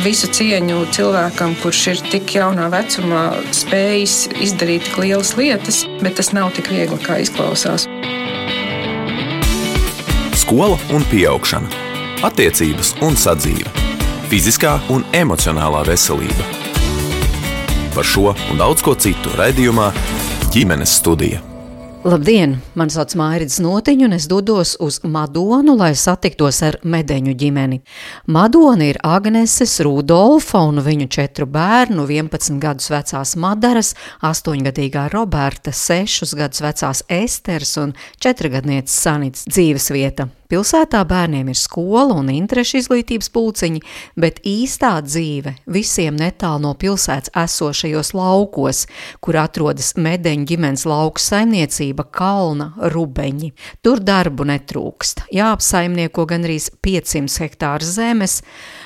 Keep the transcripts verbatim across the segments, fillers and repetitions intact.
Visu cieņu cilvēkam, kurš ir tik jaunā vecumā spējis izdarīt tik lielas lietas, bet tas nav tik viegli, kā izklausās. Skola un pieaugšana, attiecības un sadzīve, fiziskā un emocionālā veselība. Par šo un daudz ko citu raidījumā Ģimenes studija. Labdien! Mani sauc Mairidis Notiņu un es dodos uz Madonu, lai satiktos ar Medeņu ģimeni. Madona ir Agneses, Rudolfa un viņu četru bērnu, vienpadsmit gadus vecās Madaras, astoņgadīgā Roberta, sešus gadus vecās Esteres un četrgadnieces Sanits dzīves vieta. Pilsētā bērniem ir skola un interešu izglītības pulciņi, bet īstā dzīve visiem netālu no pilsētas esošajos laukos, kur atrodas Medeņu ģimenes lauku saimniecība Kalna Rubeņi. Tur darbu netrūkst. Jāapsaimnieko gandrīz piecsimt hektāru zemes,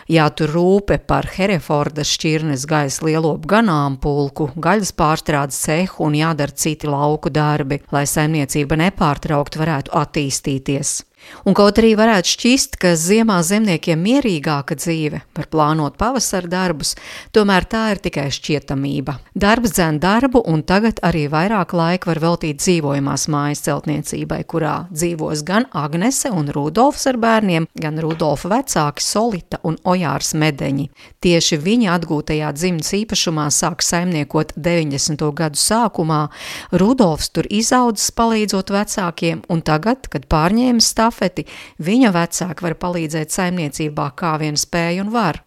jātur rūpe par Herefordas šķirnes gaisa lielopu ganāmpulku, gaļas pārstrādes cehu un jādara citi lauku darbi, lai saimniecība nepārtraukti varētu attīstīties. Un kaut arī varētu šķist, ka ziemā zemniekiem mierīgāka dzīve, var plānot pavasara darbus, tomēr tā ir tikai šķietamība. Darbs dzen darbu, un tagad arī vairāk laika var veltīt dzīvojamās mājas celtniecībai, kurā dzīvos gan Agnese un Rudolfs ar bērniem, gan Rudolfa vecāki Solita un Ojārs Medeņi. Tieši viņa atgūtajā dzimtas īpašumā sāk saimniekot deviņdesmito gadu sākumā. Rudolfs tur izaudzis palīdzot vecākiem, un tagad, kad pārņēmis stāv, viņa vecāki var palīdzēt saimniecībā, kā vien spēj un var.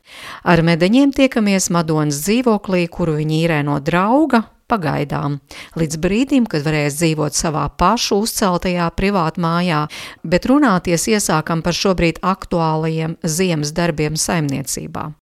Ar Medeņiem tiekamies Madonas dzīvoklī, kuru viņi īrē no drauga, pagaidām, līdz brīdim, kad varēs dzīvot savā pašu uzceltajā privātu mājā, bet runāties iesākam par šobrīd aktuālajiem ziemas darbiem saimniecībā.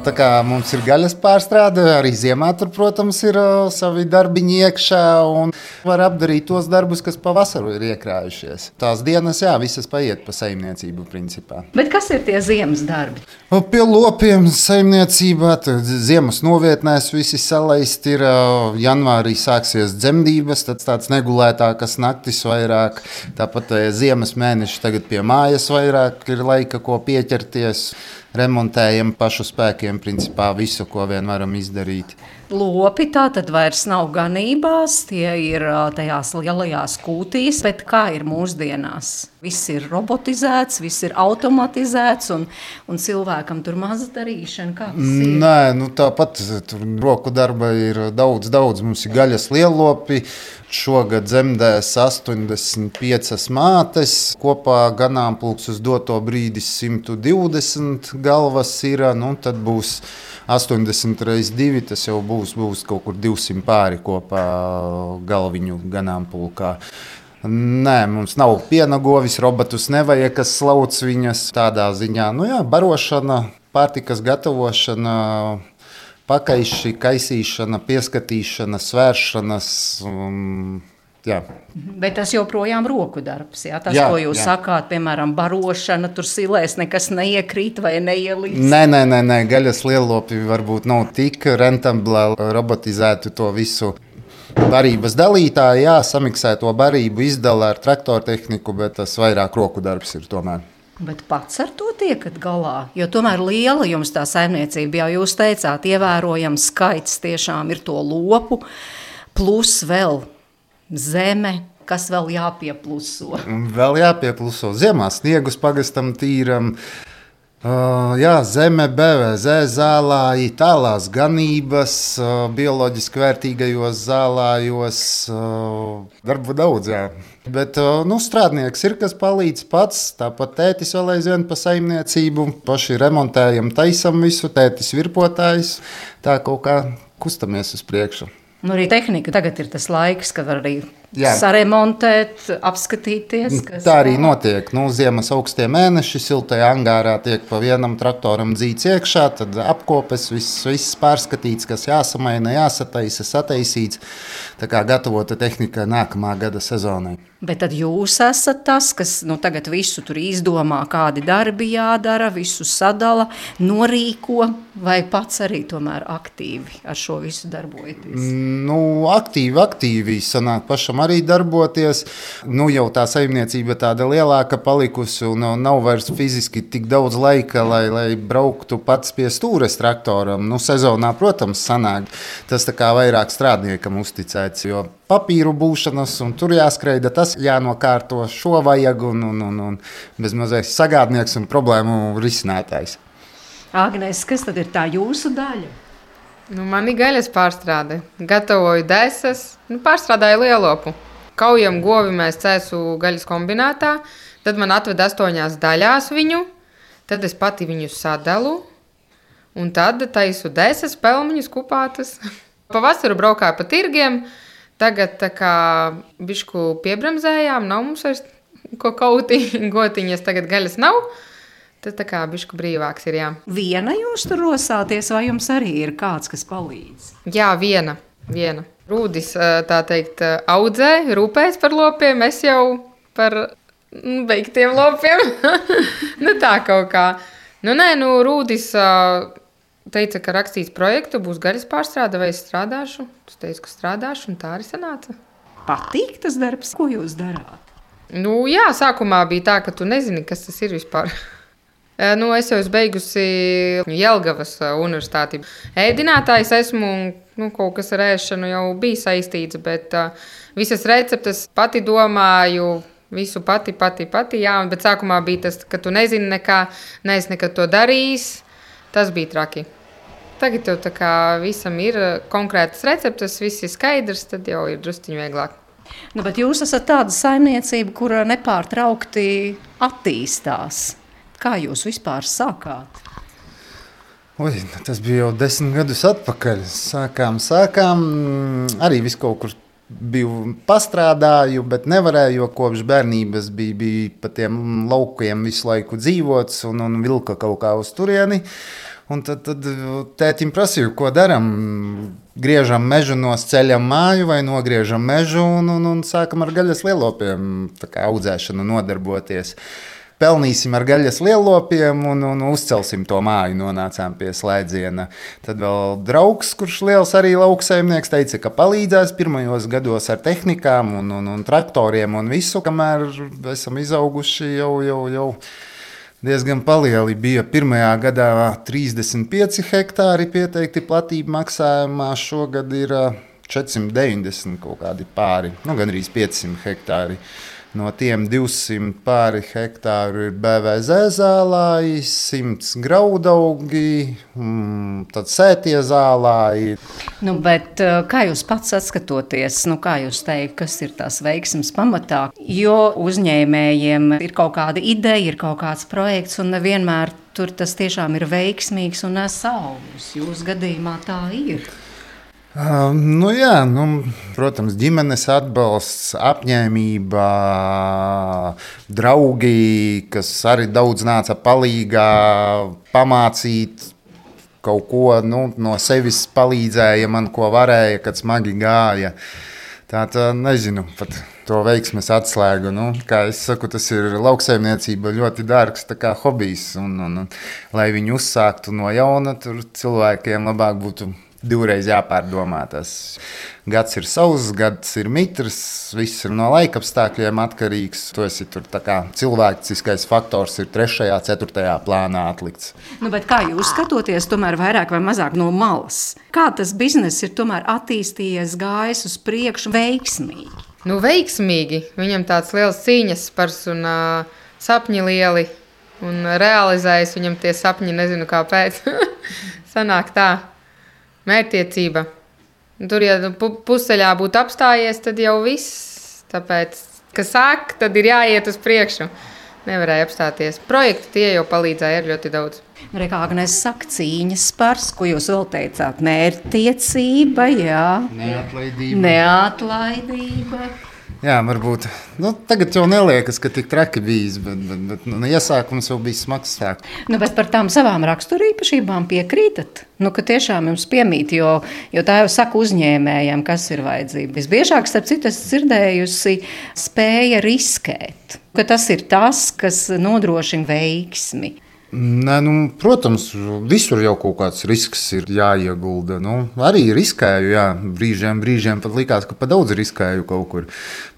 Tā kā mums ir gaļas pārstrāde, arī ziemā tur, protams, ir uh, savi darbiņi iekšā un var apdarīt tos darbus, kas pavasaru ir iekrājušies. Tās dienas, jā, visas paiet pa saimniecību principā. Bet kas ir tie ziemas darbi? Pie lopiem saimniecībā, ziemas novietnēs visi salaist ir, uh, janvārī sāksies dzemdības, tad tāds negulētākas naktis vairāk, tāpat uh, ziemas mēneši tagad pie mājas vairāk ir laika, ko pieķerties. Remontējam pašu spēkiem, principā visu, ko vien varam izdarīt. Lopi tā tad vairs nav ganībās, tie ir tajās lielajās kūtīs, bet kā ir mūsdienās? Viss ir robotizēts, viss ir automatizēts un, un cilvēkam tur maza darīšana. Kā tas ir? Nē, nu tāpat tur roku darba ir daudz, daudz. Mums ir gaļas lielopi. Šogad dzemdēs astoņdesmit piecas mātes, kopā ganāmpulks uz doto brīdi simt divdesmit galvas ir, nu tad būs astoņdesmit reiz divi, tas jau būs, būs kaut kur divsimt pāri kopā galviņu ganāmpulkā. Nē, mums nav piena govis, robotus nevajag, kas slauc viņas tādā ziņā. Nu jā, barošana, pārtikas gatavošana, pakaiši, kaisīšana, pieskatīšana, svēršanas. Um, jā. Bet tas joprojām roku darbs, jā? Tas, jā, ko jūs jā. sakāt, piemēram, barošana, tur silēs nekas neiekrīt vai neielīdz. Nē, nē, nē, nē, gaļas lielopi varbūt nav tik rentabla, robotizētu to visu. Barības dalītāji, jā, samiksē to barību, izdala ar traktortehniku, bet tas vairāk roku darbs ir tomēr. Bet pats ar to tiekat galā, jo tomēr liela jums tā saimniecība, jau jūs teicāt, ievērojams skaits tiešām ir to lopu, plus vēl zeme, kas vēl jāpiepluso. Vēl jāpiepluso. Ziemā sniegus pagastam tīram, uh, jā, zeme, B V Z zālāji, tālās ganības, uh, bioloģiski vērtīgajos zālājos, uh, darbu daudz, jā. Bet nu, strādnieks ir, kas palīdz pats, tāpat tētis vēl aizvien pa saimniecību, paši remontējam, taisam visu, tētis virpotājs, tā kaut kā kustamies uz priekšu. Nu, arī tehnika tagad ir tas laiks, kad var arī Jā. saremontēt, apskatīties. Kas... Tā arī notiek. Nu, ziemas augstie mēneši, siltajā angārā tiek pa vienam traktoram dzīts iekšā, tad apkopes, viss, viss pārskatīts, kas jāsamaina, jāsataisa, sataisīts. Tā kā gatavota tehnika nākamā gada sezonai. Bet tad jūs esat tas, kas nu, tagad visu tur izdomā, kādi darbi jādara, visu sadala, norīko, vai pats arī tomēr aktīvi ar šo visu darbojaties? Nu, aktīvi, aktīvi sanāk pašam arī darboties. Nu, jau tā saimniecība tāda lielāka palikusi un nav vairs fiziski tik daudz laika, lai, lai brauktu pats pie stūres traktoram. Nu, sezonā, protams, sanāk. Tas tā kā vairāk strādniekam uzticēts, jo papīru būšanas un tur jāskreida, tas jānokārto, šo vajag un, un, un, un bez mazais sagādnieks un problēmu risinātājs. Agnēs, kas tad ir tā jūsu daļa? Nu, man ir gaļas pārstrāde. Gatavoju desas, nu, pārstrādāju lielopu. Kaujam govi mēs cēsu gaļas kombinātā, tad man atved astoņās daļās viņu, tad es pati viņu sadalu, un tad taisu desas, pelmeņus, kupātas. Pavasaru braukāju pa tirgiem, tagad tā kā bišku piebremzējām, nav mums vairs ko kauti, gotiņas, tagad gaļas nav. Tad tā kā bišku brīvāks ir, jā. Viena jūs tur rosāties, vai jums arī ir kāds, kas palīdz? Jā, viena, viena. Rūdis, tā teikt, audzē, rūpēs par lopiem, es jau par beigtiem lopiem. Nu tā kaut kā. Nu nē, nu Rūdis teica, ka rakstīs projektu, būs gaļas pārstrāde, vai es strādāšu. Es teicu, ka strādāšu, un tā arī sanāca. Patīk tas darbs, ko jūs darāt? Nu jā, sākumā bija tā, ka tu nezini, kas tas ir vispār. Nu, es jau esmu beigusi Jelgavas universitāti. Ēdinātājs esmu, nu, kaut kas ar ēšanu jau bija saistīts, bet uh, visas receptes pati domāju, visu pati, pati, pati, jā, bet sākumā bija tas, ka tu nezini nekā, neesi nekad to darījis, tas bija traki. Tagad jau tā kā visam ir konkrētas receptes, viss ir skaidrs, tad jau ir drusciņi vieglāk. Nu, bet jūs esat tāda saimniecība, kura nepārtraukti attīstās. Kā jūs vispār sākāt? Oi, tas bija jau desmit gadus atpakaļ. Sākām, sākām. Arī visu kaut kur biju pastrādāju, bet nevarēju, jo kopš bērnības bija, bija pa tiem laukiem visu laiku dzīvots un, un vilka kaut kā uz turieni. Un tad, tad tētim prasīju, ko daram. Griežam mežu, nosceļam māju vai nogriežam mežu un, un, un sākam ar gaļas lielopiem tā kā audzēšanu nodarboties. Pelnīsim ar gaļas lielopiem un, un uzcelsim to māju, nonācām pie slēdziena. Tad vēl draugs, kurš liels arī lauksaimnieks, teica, ka palīdzēs pirmajos gados ar tehnikām un, un, un traktoriem un visu, kamēr esam izauguši jau, jau, jau diezgan palieli. Bija pirmajā gadā trīsdesmit pieci hektāri pieteikti platība maksājumā, šogad ir četrsimt deviņdesmit kaut kādi pāri, nu gandrīz piecsimt hektāri. No tiem divsimt pāri hektāru ir B V Z zālāji, simts graudaugi, tad sētie zālāji. Nu, bet kā jūs pats atskatoties, nu, kā jūs teikt, kas ir tās veiksmes pamatā? Jo uzņēmējiem ir kaut kāda ideja, ir kaut kāds projekts, un nevienmēr tur tas tiešām ir veiksmīgs un nes augļus. Jūsu gadījumā tā ir. Uh, nu jā, nu, protams, ģimenes atbalsts, apņēmība, draugi, kas arī daudz nāca palīgā, pamācīt kaut ko, nu, no sevis palīdzēja man, ko varēja, kad smagi gāja. Tā, tā nezinu, pat to veiksmes atslēgu. Nu, kā es saku, tas ir lauksaimniecība ļoti dārgs tā kā hobijs. Un, un, un, lai viņu uzsāktu no jauna, tur cilvēkiem labāk būtu divreiz jāpārdomā. Tas gads ir sauss, gads ir mitrs, viss ir no laika apstākļiem atkarīgs. To esi tur tā kā cilvēciskais faktors ir trešajā, ceturtajā plānā atlikts. Nu, bet kā jūs skatoties tomēr vairāk vai mazāk no malas? Kā tas bizness ir tomēr attīstījies, gājis uz priekšu veiksmīgi? Nu, veiksmīgi. Viņam tāds liels cīņas spars un uh, sapņi lieli. Un realizējas viņam tie sapņi, nezinu kāpēc. Sanāk tā. Mērķtiecība. Tur, ja pusceļā būtu apstājies, tad jau viss. Tāpēc, ka sāk, tad ir jāiet uz priekšu. Nevarēja apstāties. Projekti tie jau palīdzēja ļoti daudz. Kā Agnēs saka, cīņas spars, ko jūs vēl teicāt? Mērķtiecība, jā. Neatlaidība. Neatlaidība. Jā, varbūt. Nu, tagad jau neliekas, ka tik traki bijis, bet, bet, bet nu, iesākums jau bija smags sāk. Nu, bet par tām savām raksturīpašībām piekrītat? Nu, ka tiešām jums piemīt, jo, jo tā jau saka uzņēmējiem, kas ir vajadzība. Visbiežāk, starp citu, esmu dzirdējusi, spēja riskēt. Ka tas ir tas, kas nodrošina veiksmi. Nē, nu, protams, visur jau kaut kāds risks ir jāiegulda. Nu, arī riskēju, jā, brīžiem, brīžiem pat likās, ka pa daudz riskēju kaut kur.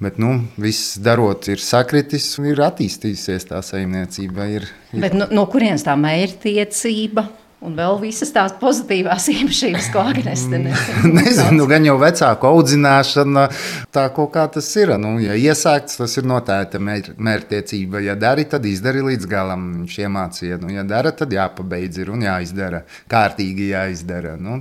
Bet nu, viss darot ir sakritis un ir attīstījusies tā saimniecība. Ir, ir... Bet no, no kurienes tā mērķtiecība? Un vēl visas tās pozitīvās īpašības, ko Agnese nesen. Nezinu, gan jau vecāku audzināšana, tā kaut kā tas ir. Nu, ja iesākts, tas ir noteikti mēr, mērķtiecība. Ja dari, tad izdari līdz galam. Viņš iemācīja, nu, ja dara, tad jāpabeidz ir un jāizdara. Kārtīgi jāizdara. Nu.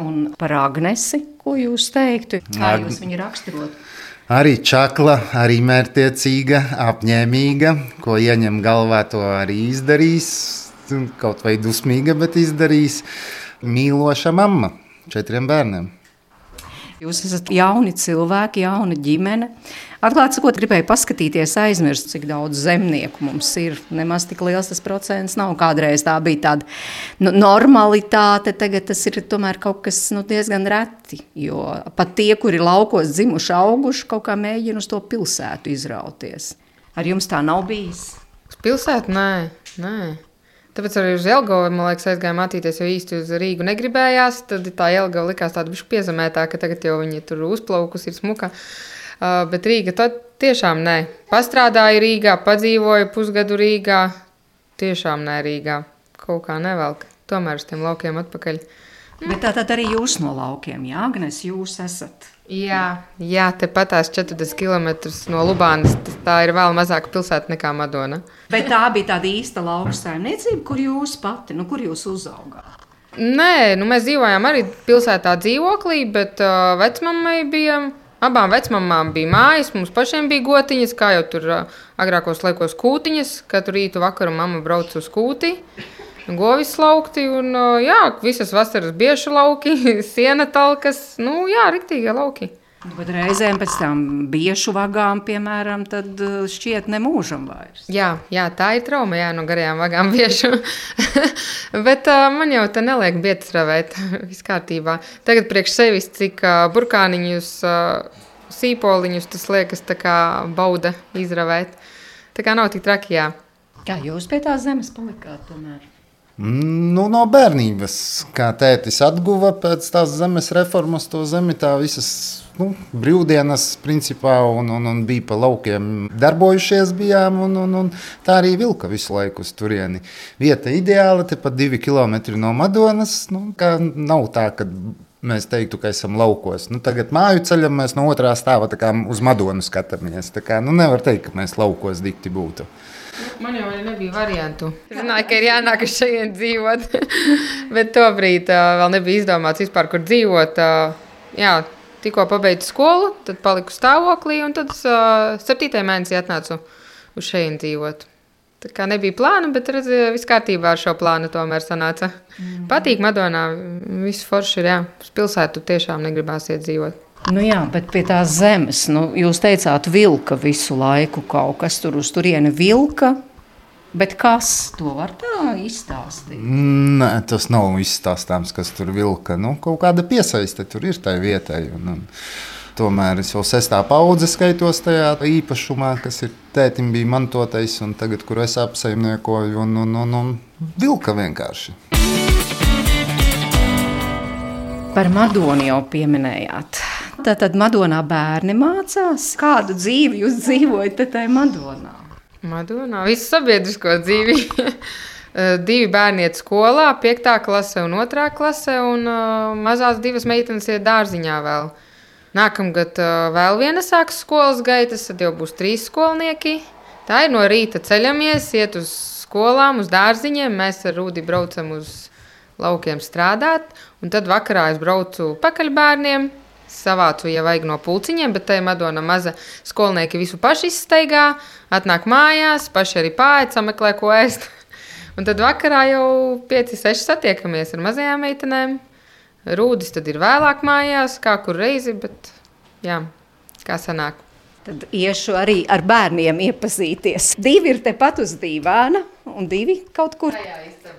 Un par Agnesi, ko jūs teiktu? Kā Ag... jūs viņu raksturotu? Arī čakla, arī mērķtiecīga, apņēmīga, ko ieņem galvā, to arī izdarīs. Kaut vai dusmīga, bet izdarīs mīloša mamma četriem bērniem. Jūs esat jauni cilvēki, jauna ģimene. Atklāt sakot, gribēju paskatīties, aizmirst, cik daudz zemnieku mums ir. Nemaz tik liels tas procents nav. Kādreiz tā bija tāda nu, normalitāte, tagad tas ir tomēr kaut kas nu, diezgan reti. Jo pat tie, kuri laukos dzimuši, auguši, kaut kā mēģina uz to pilsētu izrauties. Ar jums tā nav bijis? Uz pilsētu? Nē, nē. Tāpēc arī uz Jelgavu, man liekas, aizgāja mācīties, jo īsti uz Rīgu negribējās. Tad tā Jelgava likās tāda bišķi piezemētā, ka tagad jau viņi tur uzplaukus ir smuka. Uh, bet Rīga tad tiešām nē. Pastrādāju Rīgā, padzīvoju pusgadu Rīgā. Tiešām nē Rīgā. Kaut kā nevelk. Tomēr uz tiem laukiem atpakaļ. Bet tā tad arī jūs no laukiem, jā, Agnes, jūs esat? Jā, jā, tepat tās četrdesmit kilometrus no Lubānas. Tā ir vēl mazāka pilsēta nekā Madona. Bet tā bija tāda īsta lauksaimniecība, kur jūs pati, nu, kur jūs uzaugāt? Nē, nu mēs dzīvojām arī pilsētā dzīvoklī, bet uh, vecmammai bija, abām vecmammām bija mājas, mums pašiem bija gotiņas, kā jau tur uh, agrākos laikos kūtiņas. Katru rītu vakaru mamma brauc uz kūti. Govis laukti un, jā, visas vasaras biešu lauki, siena talkas, nu, jā, riktīgie lauki. Bet reizēm pēc tam biešu vagām, piemēram, tad šķiet nemūžam vairs. Jā, jā, tā ir trauma, jā, no garajām vagām biešu. Bet uh, man jau te neliek bietas ravēt, viss kārtībā. Tagad priekš sevis, cik uh, burkāniņus, uh, sīpoliņus, tas liekas tā kā bauda izravēt. Tā kā nav tik traki, jā. Kā jūs pie tās zemes palikāt tomēr? Nu, no bērnības, kā tētis atguva pēc tās zemes reformas, to zemi tā visas nu, brīvdienas principā un, un, un bija pa laukiem darbojušies bijām un, un, un tā arī vilka visu laiku uz turieni. Vieta ideāla, tepat divi kilometri no Madonas, nu, kā nav tā, ka mēs teiktu, ka esam laukos. Nu, tagad māju ceļam mēs no otrā stāva tā kā uz Madonu skatāmies. Tā kā, nu, nevar teikt, ka mēs laukos dikti būtu. Man jau nebija variantu. Es zināju, ka ir jānāk uz šeit dzīvot, bet tobrīd uh, vēl nebija izdomāts vispār, kur dzīvot. Uh, jā, tikko pabeidzu skolu, tad paliku stāvoklī un tad uh, septītajā mēnesī atnācu uz šeit dzīvot. Tā kā nebija plāna, bet redz, viss kārtībā ar šo plānu tomēr sanāca. Mm. Patīk Madonā, viss forši ir, jā. Uz pilsētu tiešām negribās iet dzīvot. Nu jā, bet pie tās zemes, nu, jūs teicāt vilka visu laiku kaut kas tur uz turieni vilka, bet kas to var tā izstāstīt? Nē, tas nav izstāstāms, kas tur vilka. Nu, kaut kāda piesaiste tur ir tai vietai. Un, un, tomēr es jau sestā paudze skaitos tajā īpašumā, kas ir tētim bija mantotais un tagad, kur es apsaimniekoju un, un, un, un vilka vienkārši. Par Madonu jau pieminējāt. Tātad Madonā bērni mācās. Kādu dzīvi jūs dzīvojat tajā Madonā? Madonā visu sabiedrisko dzīvi. Divi bērni iet skolā, piektā klase un otrā klase, un uh, mazās divas meitenes iet dārziņā vēl. Nākamgad uh, vēl viena sāks skolas gaitas, tad jau būs trīs skolnieki. Tā ir no rīta ceļamies, iet uz skolām, uz dārziņiem. Mēs ar Rūdi braucam uz laukiem strādāt, un tad vakarā es braucu pakaļ bērniem. Savācu, ja vajag no pulciņiem, bet tai Madona maza skolnieki visu paši izsteigā, atnāk mājās, paši arī pāēd, sameklē, ko ēst. Un tad vakarā jau pieci, seši satiekamies ar mazajām meitenēm. Rūdis tad ir vēlāk mājās, kā kur reizi, bet jā, kā sanāk. Tad iešu arī ar bērniem iepazīties. Divi ir tepat uz dīvāna, un divi kaut kur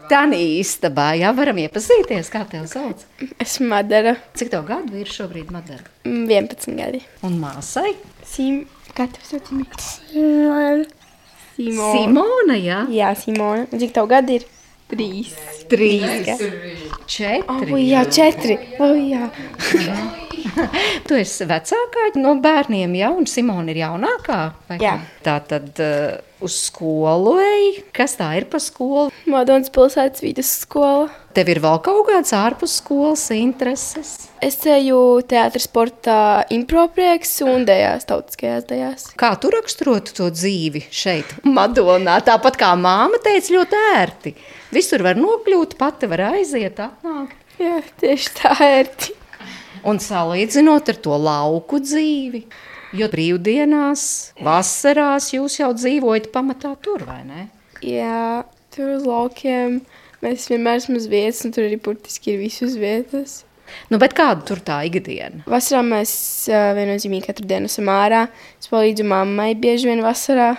tādā istabā. Jā, varam iepazīties. Kā tev sauc? Esmu Madara. Cik tev gadu ir šobrīd, Madara? vienpadsmit gadi. Un māsai? Sim, kā tev sauc? Simona. Simona. Simona, jā? Jā, Simona. Un cik tev gadi ir? Trīs. Trīs. Četri. O, jā, četri. O, jā. Tu esi vecākā no bērniem, ja? Un Simona ir jaunākā? Vai Jā. Tā tad uh, uz skolu ej. Kas tā ir pa skolu? Madonas pilsētas vidusskola. Tev ir vēl kaut kāds ārpus skolas intereses? Es eju teātra sportā improprieks un dejās, tautiskajās dejās. Kā tu raksturotu to dzīvi šeit, Madonā? Tāpat kā māma teica, ļoti ērti. Visur var nokļūt, pati var aiziet, atnākt. Jā, tieši tā ērti. Un salīdzinot ar to lauku dzīvi, jo brīvdienās, vasarās jūs jau dzīvojat pamatā tur, vai ne? Jā, tur uz laukiem mēs vienmēr esam uz vietas, un tur arī burtiski ir visu uz vietas. Nu, bet kāda tur tā ikdiena? Vasarā mēs uh, viennozīmīgi katru dienu esam ārā. Es palīdzu mammai bieži vien vasarā,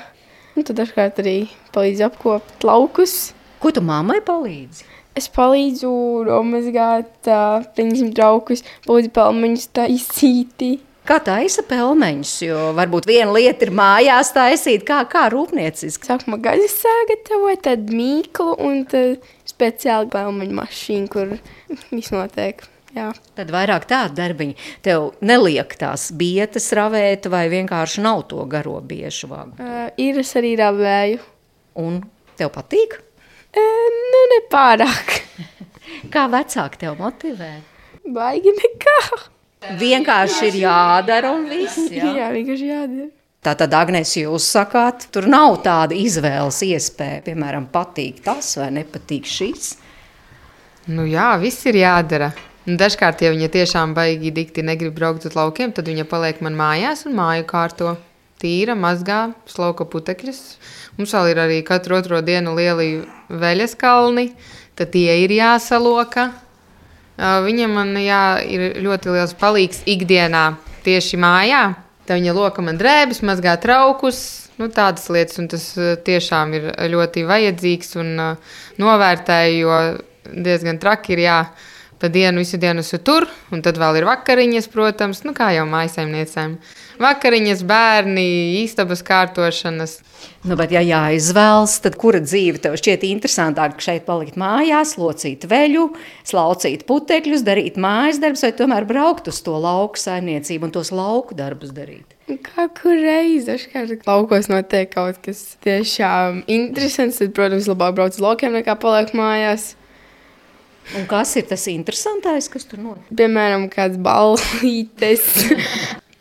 un tad dažkārt arī palīdzu apkopt laukus. Ko tu mammai palīdzi? Es palīdzu nomazgāt, uh, pieņemsim traukus, palīdzu pelmeņus taisīti. Kā taisa pelmeņus, jo varbūt viena lieta ir mājās taisīt, kā, kā rūpnieciski. Sākumā gaļas sagatavoju, tad mīklu un tad speciāli pelmeņu mašīnu, kur viss notiek. Jā. Tad vairāk tāda darbiņa. Tev neliek tās bietas ravēt vai vienkārši nav to garo biešu vagu? Uh, ir es arī ravēju. Un tev patīk? E, nu, nepārāk. Kā vecāki tev motivē? Baigi nekā. Vienkārši ir jādara un viss, jā? Jā, vienkārši jādara. Tātad, Agnēs, jūs sakāt, tur nav tāda izvēles iespēja, piemēram, patīk tas vai nepatīk šis? Nu jā, viss ir jādara. Un dažkārt, ja viņa tiešām baigi dikti negrib braukt uz laukiem, tad viņa paliek man mājās un māju kārto. Tīra, mazgā, slauka putekļus. Mums vēl ir arī katru otro dienu lieli veļas kalni, tad tie ir jāsaloka. Viņa man jā, ir ļoti liels palīgs ikdienā tieši mājā. Tā viņa loka man drēbes, mazgā traukus, nu tādas lietas, un tas tiešām ir ļoti vajadzīgs un novērtēju, jo diezgan traki ir jā, pa dienu visu dienu esmu tur, un tad vēl ir vakariņas, protams, nu kā jau mājasaimniecēm. Vakariņas, bērni, istabas kārtošanas. Nu, bet ja jāizvēlas, tad kura dzīve tev šķiet interesantāk šeit palikt mājās, locīt veļu, slaucīt putekļus, darīt mājas darbus, vai tomēr braukt uz to lauku saimniecību un tos lauku darbus darīt? Kā kur reizi, dažkārt laukos notiek kaut kas tiešām interesants, tad, protams, labāk brauc uz laukiem nekā paliek mājās. Un kas ir tas interesantais, kas tur notiek? Piemēram, kāds ballītes.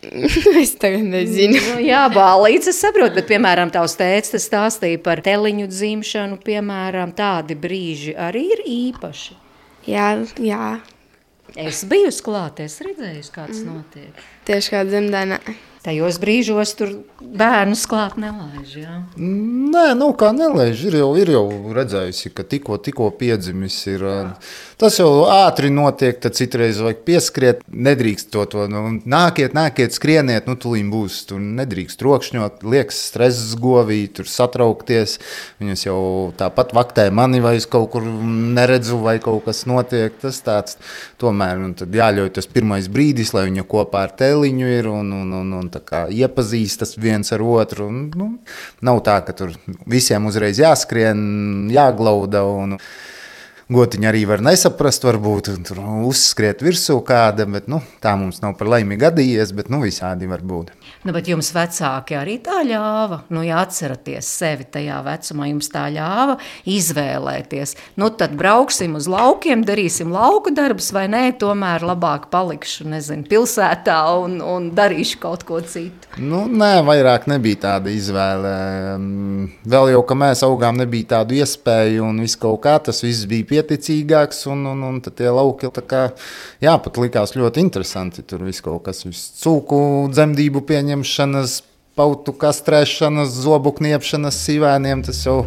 Es tagad nezinu. Nu, jā, ballītes es saprotu, bet, piemēram, tavs tēvs tas stāstīja par teliņu dzimšanu, piemēram, tādi brīži arī ir īpaši. Jā, jā. Es biju uz klāt, es redzēju, kāds notiek. Tieši kā dzemdēnē. Tajos brīžos tur bērnus klāt nelaiž, jā? Nē, nu kā nelaiž, ir jau, ir jau redzējusi, ka tikko, tikko piedzimis ir. Tas jau ātri notiek, tad citreiz vajag pieskriet, nedrīkst to, to nu, nākiet, nākiet, skrieniet, nu tulīm būs, tur nedrīkst rokšņot, liekas stress govī, tur satraukties, viņas jau tāpat vaktē mani vai es kaut kur neredzu vai kaut kas notiek, tas tāds, tomēr, un tad jāļauj tas pirmais brīdis, lai viņa kopā ar tēliņu ir un, un, un, un tā kā iepazīstas viens ar otru, un, nu, nav tā, ka tur visiem uzreiz jāskrien, jāglauda un gotiņa arī var nesaprast, varbūt tur uzskriet virsū kāda, bet nu, tā mums nav par laimi gadījies, bet nu, visādi var būt. Nu, bet jums vecāki arī tā ļāva, nu, ja atceraties sevi tajā vecumā, jums tā ļāva izvēlēties. Nu, tad brauksim uz laukiem, darīsim lauku darbus, vai nē, tomēr labāk palikšu, nezinu, pilsētā un, un darīšu kaut ko citu. Nu, nē, vairāk nebija tāda izvēle. Vēl jau, ka mēs augām, nebija tādu iespēju un viss kaut kā, tas viss bija pieticīgāks, un, un, un tad tie lauki tā kā, jā, pat likās ļoti interesanti. Tur viss kaut kas, viss cūku dzemdību pieņemšanas, pautu kastrēšanas, zobu kniepšanas sīvēniem, tas jau,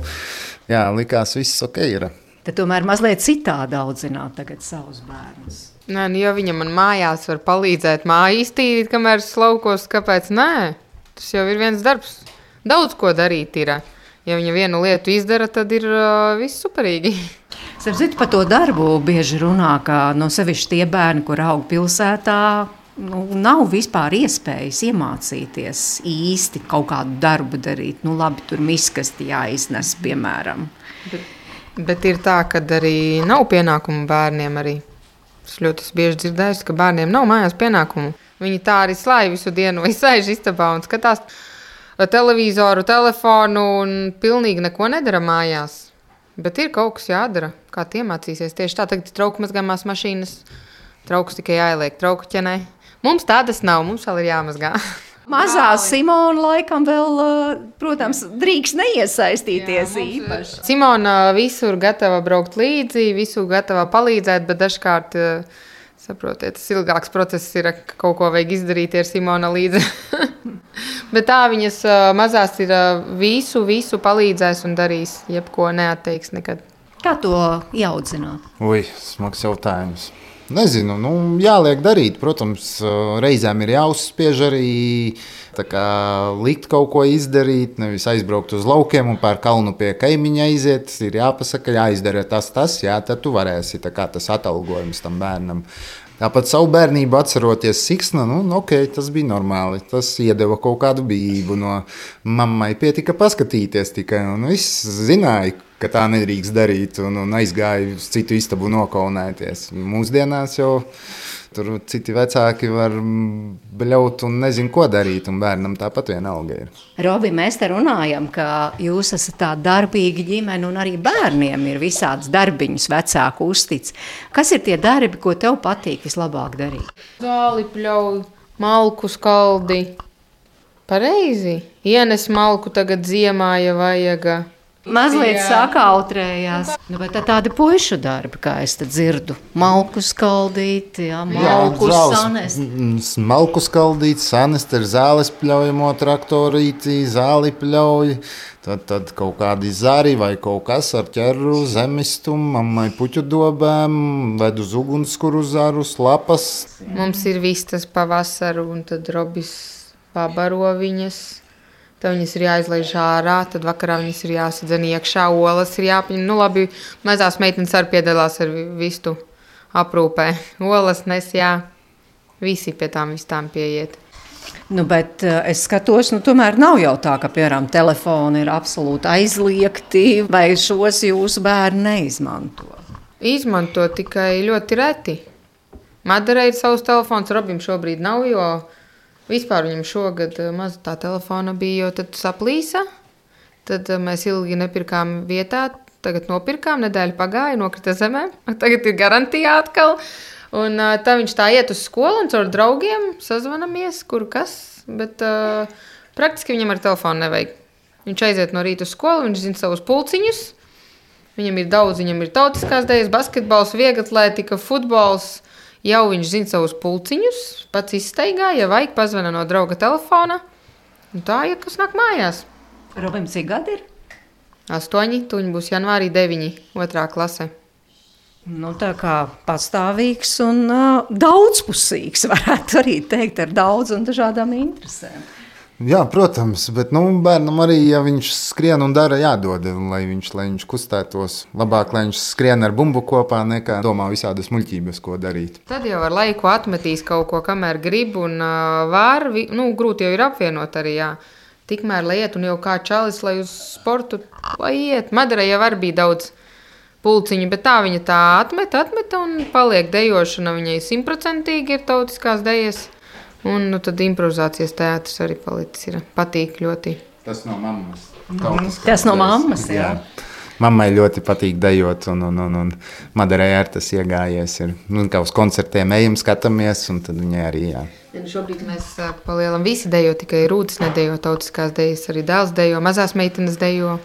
jā, likās viss ok ir. Tad tomēr mazliet citādi audzināt tagad savus bērnus. Nē, nu, ja viņa man mājās var palīdzēt māju iztīrīt, kamēr es laukos, kāpēc nē? Tas jau ir viens darbs. Daudz ko darīt ir. Ja viņa vienu lietu izdara, tad ir uh, viss superīgi. Starp citu, par to darbu bieži runā, ka no sevišķi tie bērni, kur aug pilsētā, nu, nav vispār iespējas iemācīties īsti kaut kādu darbu darīt. Nu, labi, tur miskasti jāiznes, piemēram. Bet, bet ir tā, ka arī nav pienākumu bērniem arī. Es ļoti bieži dzirdēju, ka bērniem nav mājās pienākumu. Viņi tā arī slāj visu dienu vai sēž istabā un skatās televizoru, telefonu un pilnīgi neko nedara mājās. Bet ir kaut kas jādara, kā tie mācīsies. Tieši tā, tagad ir trauku mazgāmās mašīnas, trauks tikai jāieliek trauku ķenē. Mums tādas nav, mums vēl ir jāmazgā. Mazā Simona laikam vēl, protams, drīkst neiesaistīties Jā, īpaši. Simona visur gatava braukt līdzi, visur gatava palīdzēt, bet dažkārt, saprotiet, tas ilgāks process ir, ka kaut ko vajag izdarīt ar Simona līdzi. Bet tā viņas mazās ir visu, visu palīdzēs un darīs, jebko neatteiks nekad. Kā to ieaudzināt? Ui, smags jautājums. Nezinu, nu, jāliek darīt. Protams, reizēm ir jāuzspiež arī tā kā likt kaut ko izdarīt, nevis aizbraukt uz laukiem un pār kalnu pie kaimiņa aiziet. Ir jāpasaka, jāizdara tas, tas, jā, tad tu varēsi, tā kā tas atalgojums tam bērnam. Tāpat savu bērnību atceroties siksna, nu, ok, tas bija normāli. Tas iedeva kaut kādu bijību no mammai. Pietika paskatīties tikai, un viss zināja, ka tā nedrīkst darīt, un, un aizgāja uz citu istabu nokaunēties. Mūsdienās jau tur citi vecāki var bļaut un nezin, ko darīt, un bērnam tāpat vienalga ir. Robi, mēs te runājam, ka jūs esat tā darbīga ģimene, un arī bērniem ir visāds darbiņus vecāku uztic. Kas ir tie darbi, ko tev patīk vislabāk darīt? Zāli pļauj, malku skaldi. Pareizi. Ienes malku tagad ziemā, ja vajaga. Mazliet sakautrējās. Nu, bet tā tādi puišu darbi, kā es te dzirdu. Malku skaldīt, jā, malku sanest. Malku skaldīt, sanest ar zāles pļaujamo traktorīti, zāli pļauj. Tad, tad kaut kādi zari vai kaut kas ar ķeru, zemistumu, mammai puķu dobēm, ved uz ugunskuru zarus, lapas. Mums ir vistas pavasaru un tad Robis pabaro viņas. Tad viņas ir jāizlaiž ārā, tad vakarā viņas ir jāsadzen iekšā, olas ir jāpaņem. Nu labi, mazās meitenes arī piedalās ar vistu aprūpē. Olas nes, jā, visi pie tām vistām pieiet. Nu, bet es skatos, nu tomēr nav jau tā, ka, piemēram, telefoni ir absolūti aizliegti, vai šos jūsu bērni neizmanto? Izmanto tikai ļoti reti. Madarai ir savs telefons, Robim šobrīd nav, jo vispār viņam šogad maz tā telefona bija, jo tad saplīsa. Tad mēs ilgi nepirkām vietā, tagad nopirkām, nedēļa pagāja, nokrita zemē. Tagad ir garantijā atkal. Un tā viņš tā iet uz skolu un caur draugiem sazvanamies, kur kas. Bet uh, praktiski viņam ar telefonu nevajag. Viņš aiziet no rīta uz skolu, viņš zina savus pulciņus. Viņam ir daudz, viņam ir tautiskās dejas, basketbols, vieglatlētika, futbols. Jau viņš zina savus pulciņus, pats izstaigā, ja vajag, pazvana no drauga telefona. Un tā, ja kas nāk mājās. Robim, cik gadi ir? Astoņi, tuņi būs janvārī deviņi, otrā klase. Nu, tā kā pastāvīgs un uh, daudzpusīgs, varētu arī teikt, ar daudz un dažādām interesēm. Jā, protams, bet nu, bērnam arī, ja viņš skrien un dara, jādod, lai viņš, lai viņš kustētos. Labāk, lai viņš skrien ar bumbu kopā, nekā domā visādas muļķības, ko darīt. Tad jau ar laiku atmetīs kaut ko, kamēr grib un uh, var. Nu, grūti jau ir apvienot arī, jā. Tikmēr, lai iet un jau kā čalis, lai uz sportu, lai iet. Madarai jau var bija daudz pulciņu, bet tā viņa tā atmet, atmet un paliek dejošana. Viņai simtprocentīgi ir tautiskās dejas. Un nu, tad improvizācijas teātris arī palicis ir. Patīk ļoti. Tas no mammas. Tas no mammas, jā. jā. Mammai ļoti patīk dejot, un, un, un, un Madarai ar tas iegājies. Ir. Nu, kā uz koncertiem ejam, skatāmies, un tad viņai arī, jā. Šobrīd mēs palielam visi dejo, tikai Rūtis nedejo tautiskās dejas, arī dēls dejo, mazās meitenes dejo.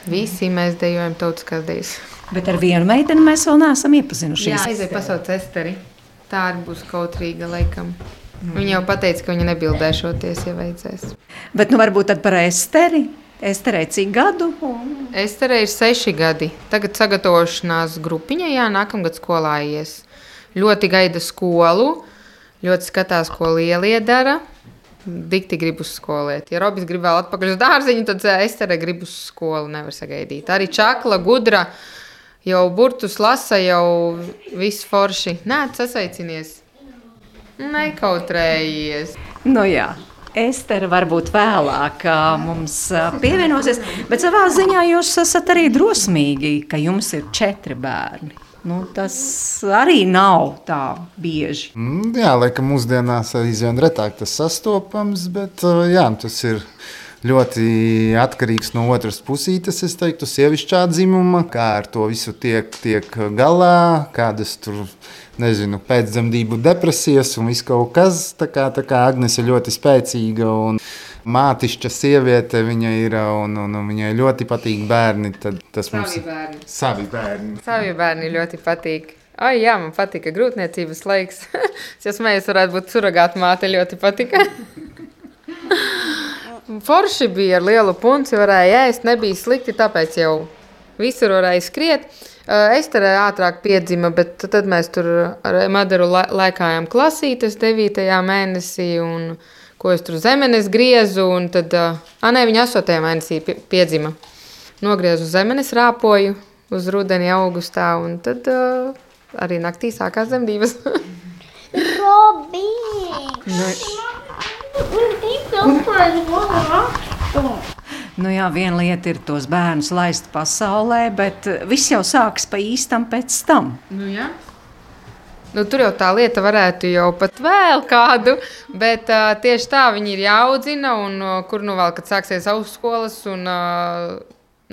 Visi mēs dejojam tautiskās dejas. Bet ar vienu meiteni mēs vēl neesam iepazinušies. Jā, aizēj pasauc Esteri. Tā arī būs kautrīga laikam. Viņa jau pateica, ka viņa nebildēšoties, ja vajadzēs. Bet nu varbūt tad par Esteri? Esterei cik gadu? Esterei ir seši gadi. Tagad sagatavošanās grupiņa, jā, nākamgad skolā ies. Ļoti gaida skolu, ļoti skatās, ko lielie dara. Dikti grib uz skoliet. Ja Robis grib vēl atpakaļ uz dārziņu, tad Esterei grib uz skolu, nevar sagaidīt. Arī čakla, gudra, jau burtus lasa, jau viss forši. Nē, sasaicinies. Nekautrējies. Nu jā. Estere varbūt vēlāk mums pievienosies, bet savā ziņā jūs esat arī drosmīgi, ka jums ir četri bērni. Nu, tas arī nav tā bieži. Mm, jā, laikam mūsdienās aizvien retāk tas sastopams, bet jā, tas ir ļoti atkarīgs no otras pusītes, es teiktu, sievišķā dzimuma, kā ar to visu tiek, tiek galā, kādas tur, nezinu, pēcdzemdību depresijas un viss kaut kas. Tā kā, tā kā Agnes ir ļoti spēcīga un mātišķa sieviete viņa ir, un, un, un viņai ļoti patīk bērni. Tad tas savi mums... bērni. Savi bērni. Savi bērni ļoti patīk. Ai, jā, man patika grūtniecības laiks. Es jau smējos, varētu būt suragāta māte, ļoti patika. Forši bija ar lielu punci, varēja ēst, nebija slikti, tāpēc jau visur varēja skriet. Estere ātrāk piedzima, bet tad mēs tur ar Madaru laikājām klasītes devītajā mēnesī, un ko es tur zemenes griezu, un tad, a, nē, viņa astotajā mēnesī piedzima. Nogriezu zemenes, rāpoju uz rudeni augustā, un tad uh, arī naktī sākās dzemdības. Robi! Nu, nu jā, viena lieta ir tos bērnus laist pasaulē, bet viss jau sāks pa īstam pēc tam. Nu jā. Nu, tur jau tā lieta varētu jau pat vēl kādu, bet uh, tieši tā viņi ir jāaudzina, un uh, kur nu vēl, kad sāksies augstskolas, un uh,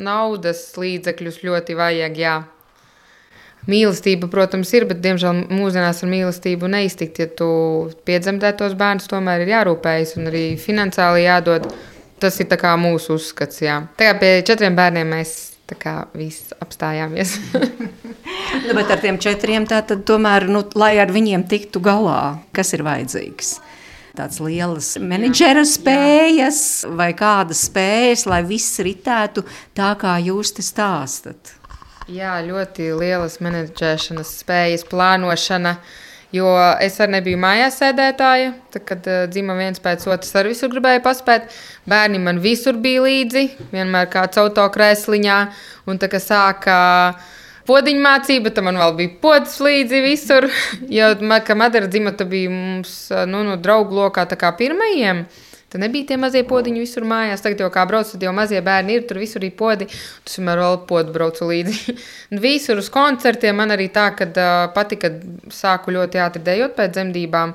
naudas līdzekļus ļoti vajag, jā. Mīlestība, protams, ir, bet, diemžēl, mūsdienās ar mīlestību neiztikt, ja tu piedzemdē tos bērnus, tomēr ir jārūpējas un arī finansiāli jādod. Tas ir tā kā mūsu uzskats, jā. Tā kā pie četriem bērniem mēs tā kā viss apstājāmies. Nu, bet ar tiem četriem tātad tomēr, nu, lai ar viņiem tiktu galā, kas ir vajadzīgs? Tāds lielas menedžera spējas vai kādas spējas, lai viss ritētu tā, kā jūs te stāstat? Jā, ļoti lielas menedžēšanas spējas, plānošana, jo es arī nebiju mājās sēdētāja, tad, kad uh, dzima viens pēc otras, arī visur gribēju paspēt. Bērni man visur bija līdzi, vienmēr kāds autokrēsliņā, un tā, ka sāka podiņu mācība, tad man vēl bija pods līdzi visur, jo, ka Madara dzima, tad bija mums, nu, no draugu lokā tā kā pirmajiem. Tad nebija tie mazie podiņi visur mājās. Tagad jau kā brauc, tad jau mazie bērni ir, tur visur ir podi. Tas vienmēr vēl podu braucu līdzi. Visur uz koncertiem man arī tā, kad uh, patika, sāku ļoti ātri dejot pēc dzemdībām.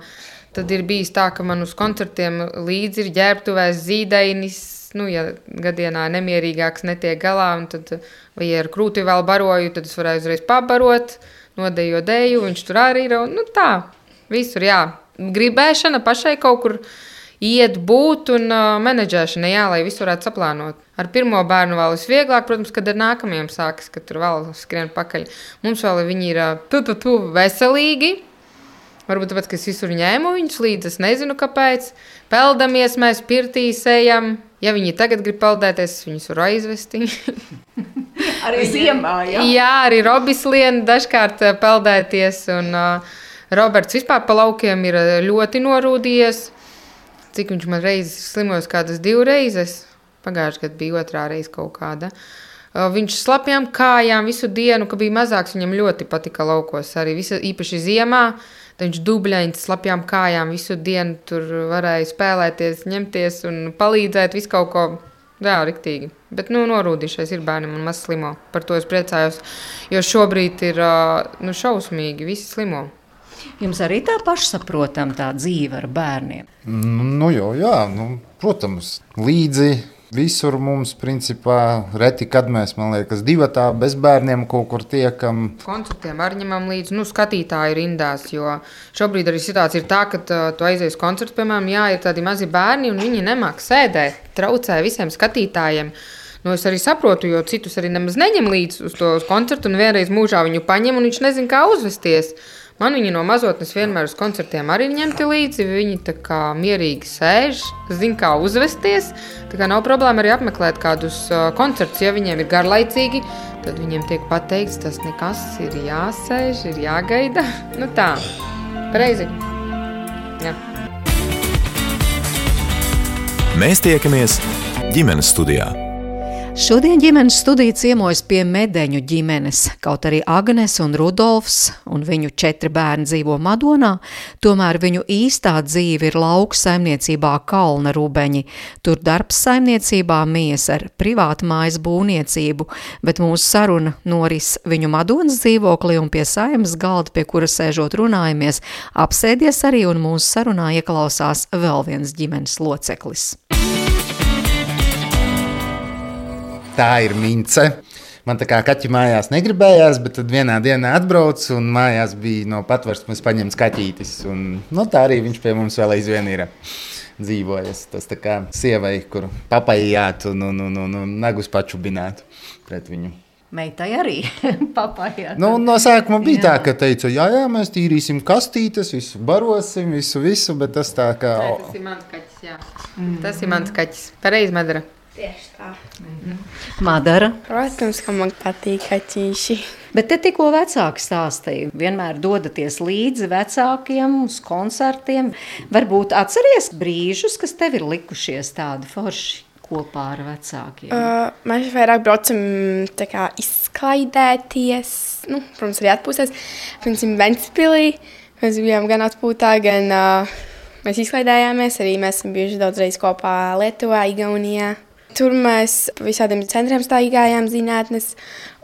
Tad ir bijis tā, ka man uz koncertiem līdzi ir ģērbtuvēs zīdainis, nu, ja gadienā nemierīgāks netiek galā, un tad, vai ja ar krūti vēl baroju, tad es varēju uzreiz pabarot, nodejo deju, viņš tur arī ir, nu tā, visur, jā. Gribēšana pašai kaut kur iet būt un uh, menedžēšana, jā, lai visu varētu saplānot. Ar pirmo bērnu vēl visvieglāk, protams, kad ar nākamajiem sākas, kad tur vēl skrien pakaļ. Mums vēl viņi ir uh, tu, tu, tu, veselīgi. Varbūt tāpēc, ka es visur ņēmu viņus līdzi, es nezinu, kāpēc. Peldamies mēs pirtīs ejam. Ja viņi tagad grib peldēties, viņus var aizvesti. Arī ziemā, jā? Jā, arī Robis lien dažkārt peldēties. Un uh, Roberts vispār pa laukiem ir ļoti norūdījies. Cik viņš man reizes slimojis, kādas divreizes. Pagājuši gadu bija otrā reize kaut kāda. Uh, viņš slapjām kājām visu dienu, ka bija mazāks, viņam ļoti patika laukos. Arī visa, īpaši ziemā. Tad viņš dubļains slapjām kājām visu dienu tur varēja spēlēties, ņemties un palīdzēt visu kaut ko. Jā, riktīgi. Bet, nu, norūdīšais ir bērnam un maz slimo. Par to es priecājos, jo šobrīd ir, nu, šausmīgi, visi slimo. Jums arī tā pašsaprotam tā dzīve ar bērniem? Nu, nu jau, jā, nu, protams, līdzi. Visur mums, principā, reti, kad mēs, man liekas, divatā bez bērniem kaut kur tiekam. Koncertiem arī ņemam līdzi, nu, skatītāji rindās, jo šobrīd arī situācija ir tā, ka tu aizies koncertu, piemēram, jā, ir tādi mazi bērni un viņi nemāk sēdēt, traucē visiem skatītājiem. Nu, es arī saprotu, jo citus arī nemaz neņem līdzi uz to koncertu un vienreiz mūžā viņu paņem un viņš nezin, kā uzvesties. Man viņi no mazotnes vienmēr uz koncertiem arī ņemti līdzi, viņi tā kā mierīgi sēž, zin, kā uzvesties, tā kā nav problēma arī apmeklēt kādus uh, koncertus, ja viņiem ir garlaicīgi, tad viņiem tiek pateikts, tas nekas ir jāsēž, ir jāgaida, nu tā, pareizi, jā. Mēs tiekamies ģimenes studijā. Šodien ģimenes studija ciemojas pie Medeņu ģimenes. Kaut arī Agnes un Rudolfs un viņu četri bērni dzīvo Madonā, tomēr viņu īstā dzīve ir lauku saimniecībā Kalna Rubeņi. Tur darbs saimniecībā mies ar privātu mājas būvniecību, bet mūsu saruna noris viņu Madonas dzīvoklī un pie saimnes galda, pie kura sēžot runājamies, apsēdies arī un mūsu sarunā ieklausās vēl viens ģimenes loceklis. Tā ir Mince. Man tā kā kaķi mājās negribējās, bet tad vienā dienā atbraucu un mājās bija no patversmes paņemts kaķītis. Un, nu, tā arī viņš pie mums vēl aizvien ir dzīvojas. Tas tā kā sievai, kur papajāt un, un, un, un, un nagus pačubināt pret viņu. Meitai arī papajāt. Nu, no sākuma bija jā. Tā, ka teica, jā, jā, mēs tīrīsim kastītes, visu barosim, visu, visu, bet tas tā kā... Nē, tas ir mans kaķis, jā. Mm. Tas ir mans kaķis. Pareizi, Madara. Tieši tā. Mm-hmm. Madara? Protams, ka man patīk kaķīši. Bet te tikko vecāki stāstīja, vienmēr dodaties līdzi vecākiem uz koncertiem. Varbūt atceries brīžus, kas tev ir likušies tādi forši kopā ar vecākiem? Uh, mēs vairāk braucam tā kā izklaidēties, nu, protams, arī atpūsties. Piemēram, Ventspilī mēs bijām gan atpūtā, gan uh, mēs izklaidējāmies. Arī mēs esam bijuši daudzreiz kopā Lietuvā, Igaunijā. Tur mēs pa visādiem centriem staigājām, zinātnes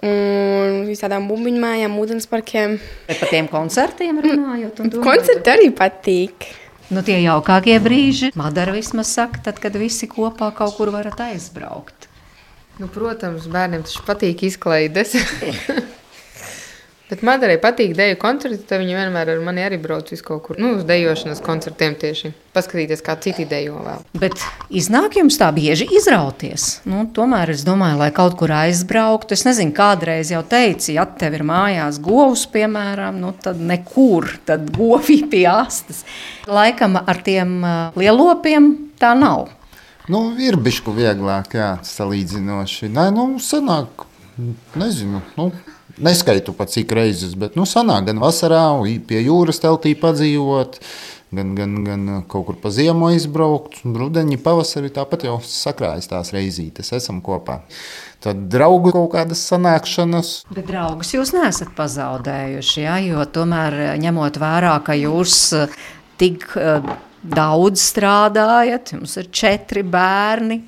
un visādām bumbiņu mājām, ūdensparkiem. Bet par tiem koncertiem runājot un domājot? Koncerti arī patīk. Nu, tie jaukākie brīži, Madara vismaz saka, tad, kad visi kopā kaut kur varat aizbraukt. Nu, protams, bērniem taču patīk izklaides. Bet Madarai patīk deju koncerti, tad viņa vienmēr ar mani arī brauc uz kaut kur, nu, uz dejošanas koncertiem tieši. Paskatīties, kā citi dejo vēl. Bet iznāk jums tā bieži izrauties? Nu, tomēr es domāju, lai kaut kur aizbrauktu. Es nezinu, kādreiz jau teici, ja tev ir mājās govs, piemēram, nu, tad nekur, tad govi pie astes. Laikam ar tiem uh, lielopiem tā nav. Nu, ir bišku vieglāk, jā, salīdzinoši. Nē, nu, sanāk, nezinu, nu, neskaitu pat cik reizes, bet, nu, sanāk gan vasarā, pie jūras teltī padzīvot, gan, gan, gan kaut kur pa ziemu izbraukt, rudeņi, pavasari, tāpat jau sakrājas tās reizītes, esam kopā. Tad draugu kaut kādas sanākšanas. Bet draugus jūs neesat pazaudējuši, jā, jo tomēr ņemot vērā, ka jūs tik uh, daudz strādājat, jums ir četri bērni,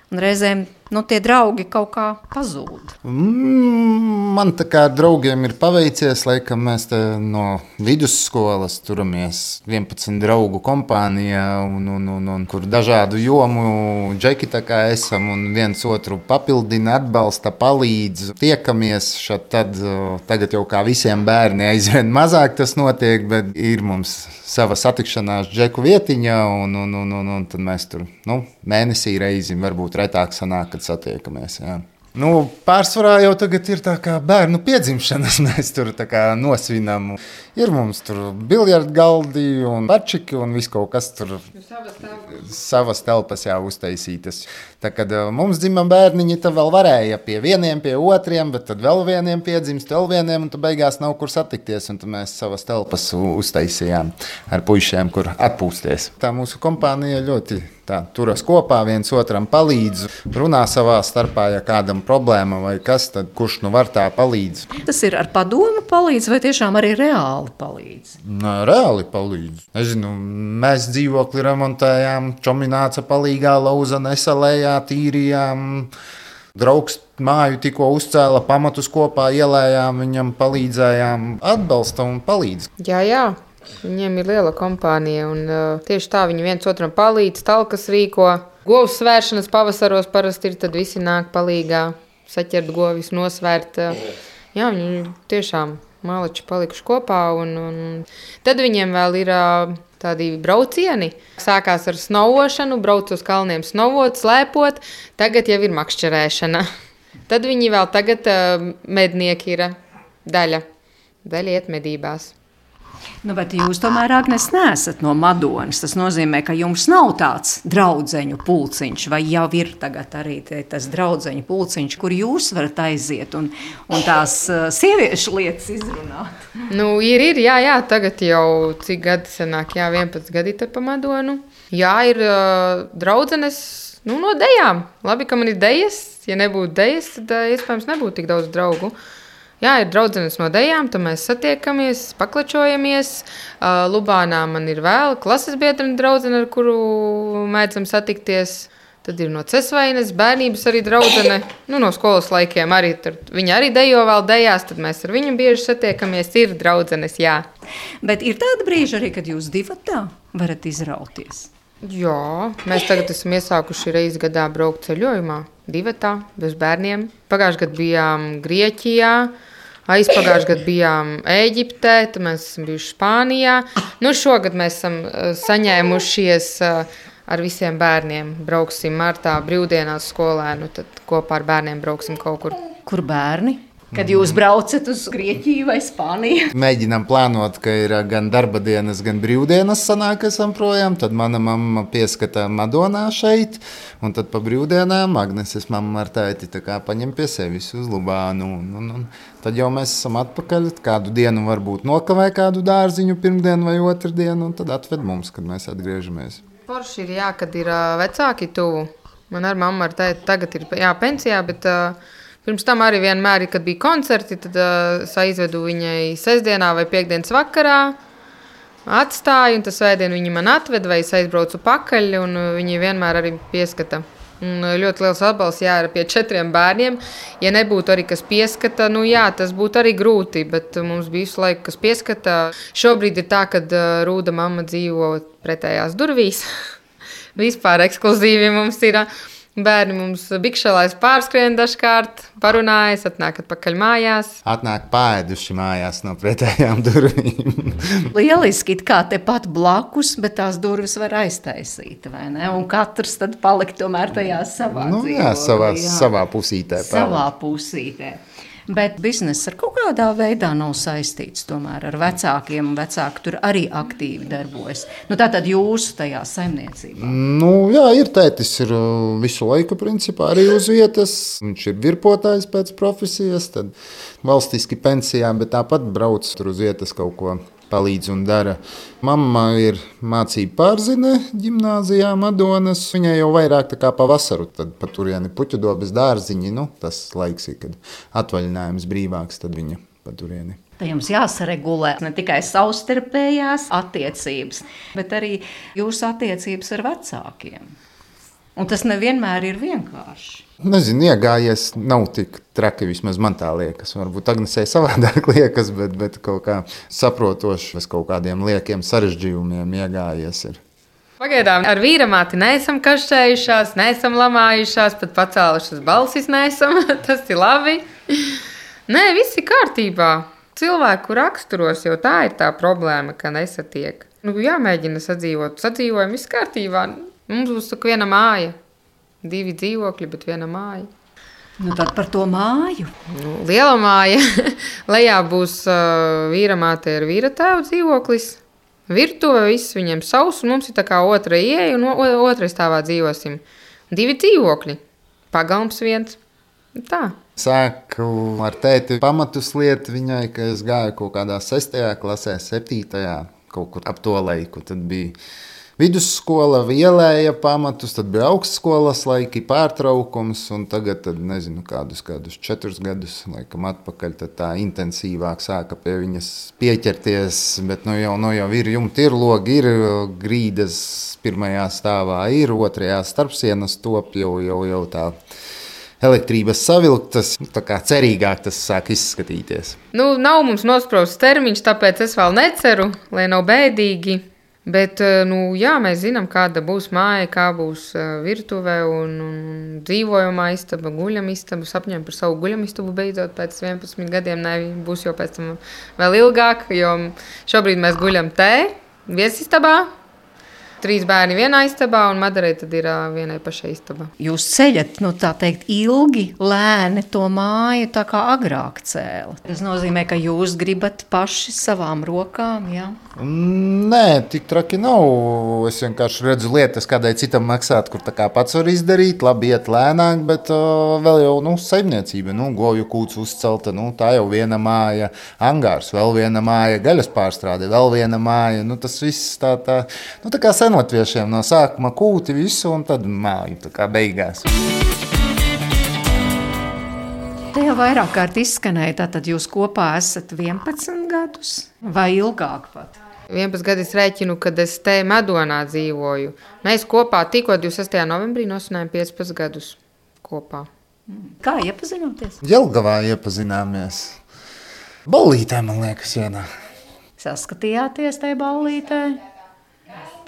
un reizēm nu, tie draugi kaut kā pazūd. Mm, man tā kā draugiem ir paveicies, laikam mēs te no vidusskolas turamies vienpadsmit draugu kompānijā, un, un, un, un kur dažādu jomu džeki tā kā esam, un viens otru papildina, atbalsta, palīdz, tiekamies šad tad, tagad jau kā visiem bērni aizvien mazāk tas notiek, bet ir mums sava satikšanās džeku vietiņa, un, un, un, un, un tad mēs tur, nu, mēnesī reizi varbūt retāk sanāk, kad satiekamies, jā. Nu, pārsvarā jau tagad ir tā kā bērnu piedzimšanas, mēs tur tā kā nosvinam. Ir mums tur biljardgaldi un bačiki un viss kaut kas tur savas telpas, savas telpas jā, uztaisītas. Tā kad mums dzimam bērniņi, tad vēl varēja pie vieniem, pie otriem, bet tad vēl vieniem piedzimst, vēl vieniem, un tad beigās nav kur satikties, un tad mēs savas telpas uztaisījām ar puišiem, kur atpūsties. Tā mūsu kompānija ļoti tā turas kopā, viens otram palīdz, runā savā starpā, ja kādam problēma vai kas, tad kurš nu var tā palīdz. Tas ir ar padomu palīdz vai tiešām arī reāli palīdz? Nā, reāli palīdz. Nezinu, mēs dzīvokli remontējām, čomināca palīgā, lauza nesalējā, tīrījām, draugs māju tikko uzcēla, pamatus kopā ielējām, viņam palīdzējām, atbalsta un palīdz. Jā, jā. Viņiem ir liela kompānija, un uh, tieši tā viņi viens otram palīdz, talkas rīko. Govs svēršanas pavasaros parasti ir, tad visi nāk palīgā, saķert govis, nosvērt. Uh, jā, viņi tiešām māleči palikuši kopā, un, un tad viņiem vēl ir uh, tādi braucieni. Sākās ar snovošanu, brauc uz kalniem snovot, slēpot, tagad jau ir makšķerēšana. Tad viņi vēl tagad uh, mednieki ir daļa, daļa iet medībās. Nu, bet jūs tomēr, Agnes, neesat no Madonas. Tas nozīmē, ka jums nav tāds draudzeņu pulciņš, vai jau ir tagad arī tas draudzeņu pulciņš, kur jūs varat aiziet un, un tās uh, sieviešu lietas izrunāt. Nu, ir, ir, jā, jā, tagad jau cik gadi sanāk, jā, vienpadsmit gadi te pa Madonu. Jā, ir uh, draudzenes nu, no dejām. Labi, ka man ir dejas. Ja nebūtu dejas, tad iespējams nebūtu tik daudz draugu. Jā, ir draudzenes no dejām, tad mēs satiekamies, paklačojamies. Lubānā man ir vēl klases biedrene draudzene, ar kuru mēdzam satikties. Tad ir no Cesvainas, bērnības arī draudzene, nu, no skolas laikiem arī. Viņa arī dejo vēl dejās, tad mēs ar viņu bieži satiekamies. Ir draudzenes, jā. Bet ir tāda brīža arī, kad jūs divatā varat izrauties? Jā, mēs tagad esam iesākuši reizi gadā braukt ceļojumā, divatā, bez bērniem. Pagājušajā gadā bijām Grieķijā, aizpagājušajā gadā bijām Ēģiptē, tad mēs esam bijuši Spānijā. Nu, šogad mēs esam saņēmušies ar visiem bērniem. Brauksim martā brīvdienās skolēnu, tad kopā ar bērniem brauksim kaut kur. Kur bērni? Kad jūs braucat uz Grieķiju vai Spāniju? Mēģinām plānot, ka ir gan darba dienas, gan brīvdienas sanāk, esam projām. Tad mana mamma pieskatā Madonā šeit, un tad pa brīvdienām Agneses mamma ar tēti tā kā paņem pie sevis uz Lubānu. Un, un, un. Tad jau mēs esam atpakaļ, kādu dienu varbūt nokavē kādu dārziņu pirmdienu vai otrdienu, un tad atved mums, kad mēs atgriežamies. Forši ir, jā, kad ir uh, vecāki tuvu. Man ar mammu ar tēti tagad ir jā, pensijā, bet uh, pirms tam arī vienmēr, kad bija koncerti, tad uh, es aizvedu viņai sestdienā vai piekdienas vakarā, atstāju, un tas svētdien viņi man atved, vai es aizbraucu pakaļ, un uh, viņi vienmēr arī pieskata. Un ļoti liels atbalsts, jā, ir pie četriem bērniem. Ja nebūtu arī kas pieskata, nu jā, tas būtu arī grūti, bet mums bija visu laiku kas pieskata. Šobrīd ir tā, ka Rūda mamma dzīvo pretējās durvīs. Vispār ekskluzīvi mums ir. Bērni mums bikšalais pārskrien dažkārt, parunājas, atnāk atpakaļ mājās. Atnāk pāēduši mājās no pretējām durvīm. Lieliski, it kā tepat blakus, bet tās durvis var aiztaisīt, vai ne? Un katrs tad palikt tomēr tajā savā nu, dzīvo. Jā, savā, jā. savā pusītē. Savā pusītē. Bet bizness ar kaut kādā veidā nav saistīts tomēr ar vecākiem, un vecāki tur arī aktīvi darbojas. Nu, tātad jūsu tajā saimniecībā? Nu, jā, ir tētis ir visu laiku principā arī uz vietas. Viņš ir virpotājs pēc profesijas, tad valstiski pensijā, bet tāpat brauc tur uz vietas kaut ko palīdz un dara. Mamma ir mācība pārzine ģimnāzijā Madonas. Viņai jau vairāk tā kā pavasaru, tad pa turieni Puķudobes dārziņi, nu, tas laiks ir, kad atvaļinājums brīvāks, tad viņa pa turieni. Tad jums jāsaregulē ne tikai savstarpējās attiecības, bet arī jūsu attiecības ar vecākiem. Un tas nevienmēr ir vienkārši. Nezinu, iegājies nav tik traki, vismaz man tā liekas. Varbūt Agnesei savādāk liekas, bet, bet kaut kā saprotoši, bez kaut kādiem liekiem sarežģījumiem iegājies ir. Pagaidām ar vīramāti neesam kašķējušās, neesam lamājušās, pat pacēlušas balsis neesam, tas ir labi. Nē, viss ir kārtībā. Cilvēku raksturos jau tā ir tā problēma, ka nesatiek. Nu, jāmēģina sadzīvot, sadzīvojam, viss kārtībā. Mums būs tik viena māja. Divi dzīvokļi, bet viena māja. Nu, tad par to māju. Nu, liela māja. Lejā būs uh, vīramāte ar vīra tēvu dzīvoklis. Virtuve, viss viņiem savs, un mums ir tā kā otra ieeja, un otrā stāvā dzīvosim. Divi dzīvokļi. Pagalms viens. Tā. Sāku ar tēti pamatus lietu viņai, ka es gāju kaut kādā sestajā klasē, septītajā, kaut kur ap to laiku. Tad bija vidusskola, vielēja pamatus, tad bija augstskolas laiki, pārtraukums, un tagad, tad, nezinu, kādus, kādus četrus gadus, laikam atpakaļ, tad tā intensīvāk sāka pie viņas pieķerties, bet nu jau, nu jau ir jumti, ir logi, ir grīdas pirmajā stāvā, ir otrajā starpsienas top, jau, jau, jau tā elektrības savilktas, tā kā cerīgāk tas sāk izskatīties. Nu, nav mums nosprausts termiņš, tāpēc es vēl neceru, lai nav bēdīgi. Bet, nu, jā, mēs zinām, kāda būs māja, kā būs virtuve un, un dzīvojamā istaba, guļamistaba. Sapņojam par savu guļamistabu beidzot pēc vienpadsmit gadiem. Ne, būs jau pēc tam vēl ilgāk, jo šobrīd mēs guļam te, viesistabā. Trīs bērni vienā istabā, un Madarei tad ir vienai pašai istabā. Jūs ceļat, nu tā teikt, ilgi, lēni to māju tā kā agrāk cēla. Tas nozīmē, ka jūs gribat paši savām rokām, jā? Nē, tik traki nav. Es vienkārši redzu lietas, kādai citam maksāt, kur tā kā pats var izdarīt, labi iet lēnāk, bet uh, vēl jau, nu, saimniecība, nu, govju kūts uzcelta, nu, tā jau viena māja, angārs, vēl viena māja, gaļas pārstrāde, vēl viena māja, nu, tas viss tā, tā, nu, tā kā sen senotviešiem no sākuma kūti visu un tad māju tā kā beigās. Te jau vairāk kārt izskanēja, tātad jūs kopā esat vienpadsmit gadus vai ilgāk pat? vienpadsmit gadi es rēķinu, kad es te Madonā dzīvoju. Mēs kopā tikko divdesmit sestajā novembrī nosvinājām piecpadsmit gadus kopā. Kā iepazinoties? Jelgavā iepazināmies. Ballītē, man liekas, vienā. Saskatījāties tajā ballītē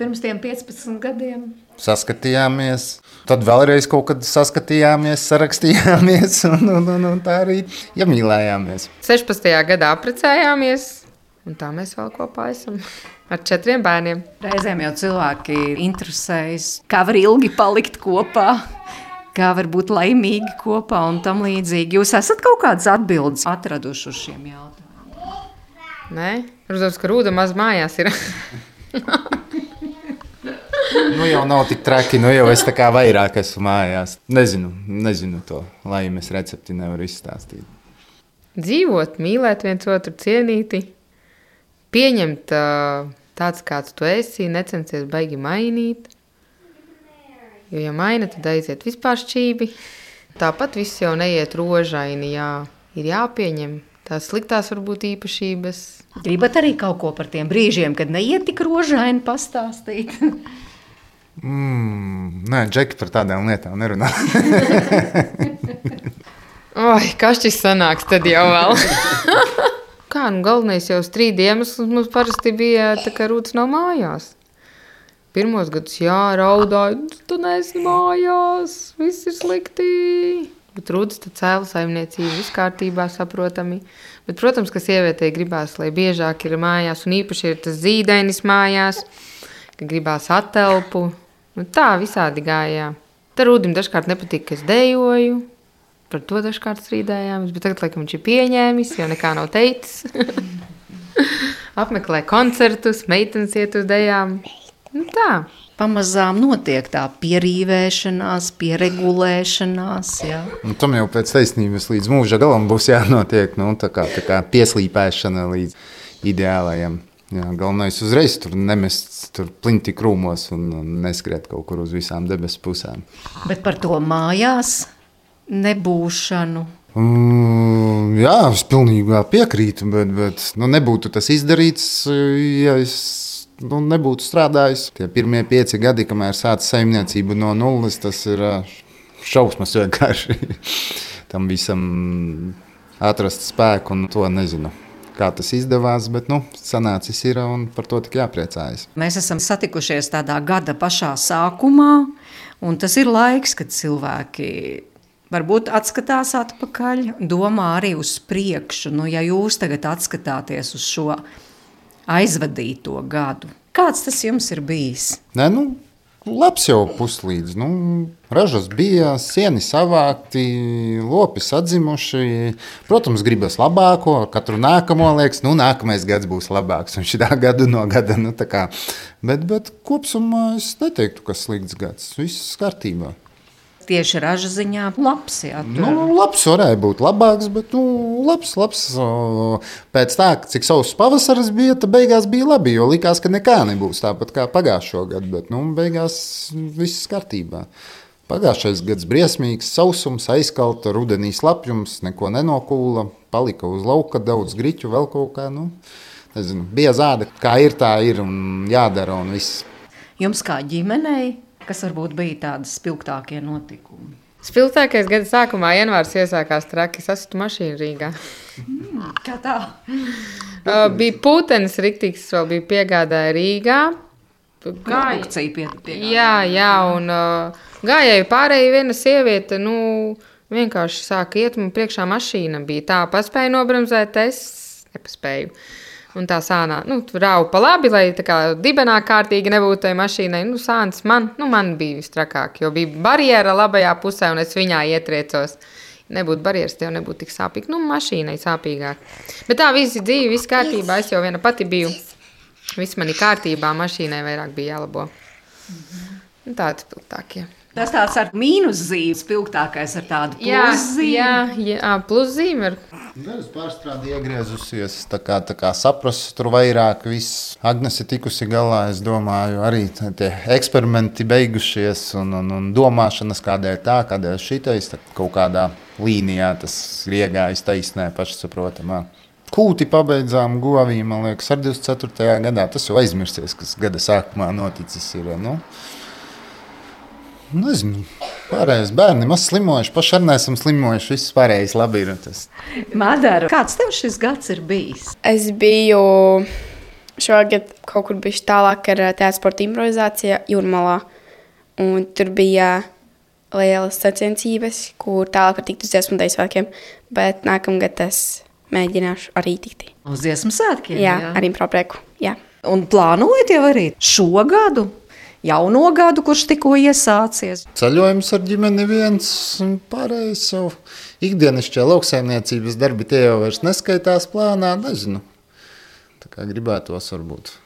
pirms tiem piecpadsmit gadiem? Saskatījāmies, tad vēlreiz kaut kad saskatījāmies, sarakstījāmies un, un, un, un tā arī iemīlējāmies. sešpadsmitajā gadā apprecējāmies, un tā mēs vēl kopā esam ar četriem bērniem. Reizēm jau cilvēki interesējas, kā var ilgi palikt kopā, kā var būt laimīgi kopā un tam līdzīgi. Jūs esat kaut kādas atbildes atraduši uz šiem jautājumiem? Nē, protams, ka Rūda maz mājās ir. Nu jau nav tik traki, nu jau es tā kā vairāk esmu mājās. Nezinu, nezinu to laimes recepti, nevaru izstāstīt. Dzīvot, mīlēt viens otru, cienīti, pieņemt uh, tāds, kāds tu esi, necensties baigi mainīt. Jo, ja maina, tad aiziet vispār šķībi. Tāpat viss jau neiet rožaini, jā, ir jāpieņem tās sliktās varbūt īpašības. Gribat arī kaut ko par tiem brīžiem, kad neiet tik rožaini pastāstīt? Mm, nē, Džeki par tādām lietām nerunā. Oi, kas šis sanāks tad jau vēl? Kā, nu galvenais jau strīdi iemesls mums parasti bija tā, ka Rūts nav mājās. Pirmos gadus jā, raudāja, tu neesi mājās, viss ir slikti. Bet Rūts tad cēla saimniecību, viss kārtībā, saprotami. Bet, protams, ka sievietei gribās, lai biežāk ir mājās, un īpaši ir tas zīdainis mājās, ka gribās atelpu. Nu, tā visādi gājā. Tad Rūdim dažkārt nepatīk, ka es dejoju. Par to dažkārt strīdējāmies, bet tagad, laikam, viņš ir pieņēmis, jo nekā nav teicis. Apmeklē koncertus, meitenes iet uz dejām. Nu, tā. Pamazām notiek tā pierīvēšanās, pieregulēšanās. Jā. Un tam jau pēc taisnības līdz mūža galam būs jānotiek, nu, tā kā, tā kā pieslīpēšana līdz ideālajam. Jā, galvenais uzreiz tur nemest tur plinti krūmos un, un neskriet kaut kur uz visām debesu pusēm. Bet par to mājās nebūšanu? Mm, jā, es pilnībā piekrītu, bet, bet nu, nebūtu tas izdarīts, ja es nu, nebūtu strādājis. Tie pirmie pieci gadi, kamēr sāc saimniecību no nulles, tas ir šausmas vienkārši. Tam visam atrast spēku un to nezinu. Kā tas izdevās, bet nu, sanācis ir un par to tik jāpriecājas. Mēs esam satikušies tādā gada pašā sākumā, un tas ir laiks, kad cilvēki varbūt atskatās atpakaļ, domā arī uz priekšu. Nu, ja jūs tagad atskatāties uz šo aizvadīto gadu, kāds tas jums ir bijis? Nē, nu, labs jau puslīdz. Nu, ražas bija, sieni savākti, lopi sadzimuši. Protams, gribas labāko, katru nākamo liekas, nu, nākamais gads būs labāks. Un šitā gadu no gada, nu, tā kā. Bet, bet kopsumā es neteiktu, ka slikts gads. Viss kārtībā. Tieši raža ziņā labs, jā. Nu, labs varēja būt labāks, bet nu, labs, labs. Pēc tā, cik savs pavasaris bija, tad beigās bija labi, jo likās, ka nekā nebūs tāpat kā pagājušo gadu, bet nu, beigās viss kārtībā. Pagājušais gads briesmīgs, sausums, aizkalta, rudenī slapjums, neko nenokūla, palika uz lauka daudz griķu, vēl kaut kā, nu, nezinu, bija zāde, kā ir, tā ir un jādara un viss. Jums kā ģimenei? Kas varbūt bija tādas spilgtākie notikumi? Spilgtākais gada sākumā janvārs iesākās traki sasitu mašīnu Rīgā. Mm, kā tā? uh, bija putenis riktīgs, vēl bija piegādāja Rīgā. Gāja. Pie, jā, jā, un uh, gājēju pārēja viena sieviete, nu, vienkārši sāka iet, man priekšā mašīna bija tā, paspēja nobremzēt, es nepaspēju. Un tā sānā, nu, raupa pa labi, lai tā kā dibenā kārtīgi nebūtu tai mašīnai. Nu, sāns man, nu, man bija vistrakāk, jo bija barjera labajā pusē, un es viņā ietriecos. Nebūtu barjeras, tev nebūtu tik sāpīgi. Nu, mašīnai sāpīgāk. Bet tā visi dzīve, viss kārtībā, es jau viena pati biju. Viss man ir kārtībā, mašīnai vairāk bija jālabo. Mm-hmm. Nu, tādi spilgtākie. Tas tāds ar mīnuszīmi, spilgtākais ar tādu pluszīmi. Jā, jā, jā pluszīme ir. Dažas pārstrādi iegriezusies, tā kā, tā kā saprast, tur vairāk viss. Agnes ir tikusi galā, es domāju, arī tie eksperimenti beigušies un, un, un domāšanas kādēļ tā, kādēļ šitais, kaut kādā līnijā tas ir iegājis taisnē pašsaprotamā. Kūti pabeidzām govī, man liekas, ar divdesmit ceturtajā gadā. Tas jau aizmirsies, kas gada sākumā noticis ir, nu, nezinu, pārējais bērni maz slimojuši, paši arī neesam slimojuši, viss pārējais labi ir. Tas. Madara, kāds tev šis gads ir bijis? Es biju šogad kaut kur bišķi tālāk ar teātra sporta improvizāciju Jūrmalā, un tur bija lielas sacensības, kur tālāk var tikt uz dziesmu deju svētkiem, bet nākamgad es mēģināšu arī tikt. Uz dziesmu svētkiem? Jā, jā. Ar improprieku, jā. Un plānojat jau arī šo gadu, jauno gadu, kurš tikko iesācies? Ceļojums ar ģimeni viens un pārējais jau ikdienišķie lauksaimniecības darbi, tie jau vairs neskaitās plānā, nezinu. Tā kā gribētos varbūt.